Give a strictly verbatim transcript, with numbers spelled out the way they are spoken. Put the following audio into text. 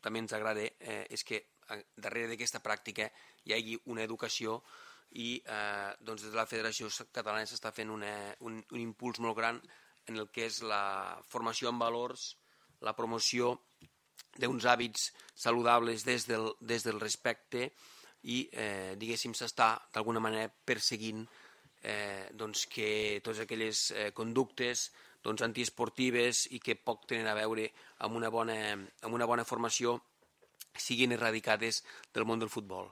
també ens agrada eh, és que darrere d'aquesta pràctica hi hagi una educació i eh, doncs des de la Federació Catalana s'està fent una, un, un impuls molt gran en el que és la formació en valors, la promoció d'uns hàbits saludables des del, des del respecte i, eh, diguéssim, s'està d'alguna manera perseguint eh, doncs que totes aquelles eh, conductes doncs, antiesportives i que poc tenen a veure amb una bona, amb una bona formació siguin eradicades del món del futbol.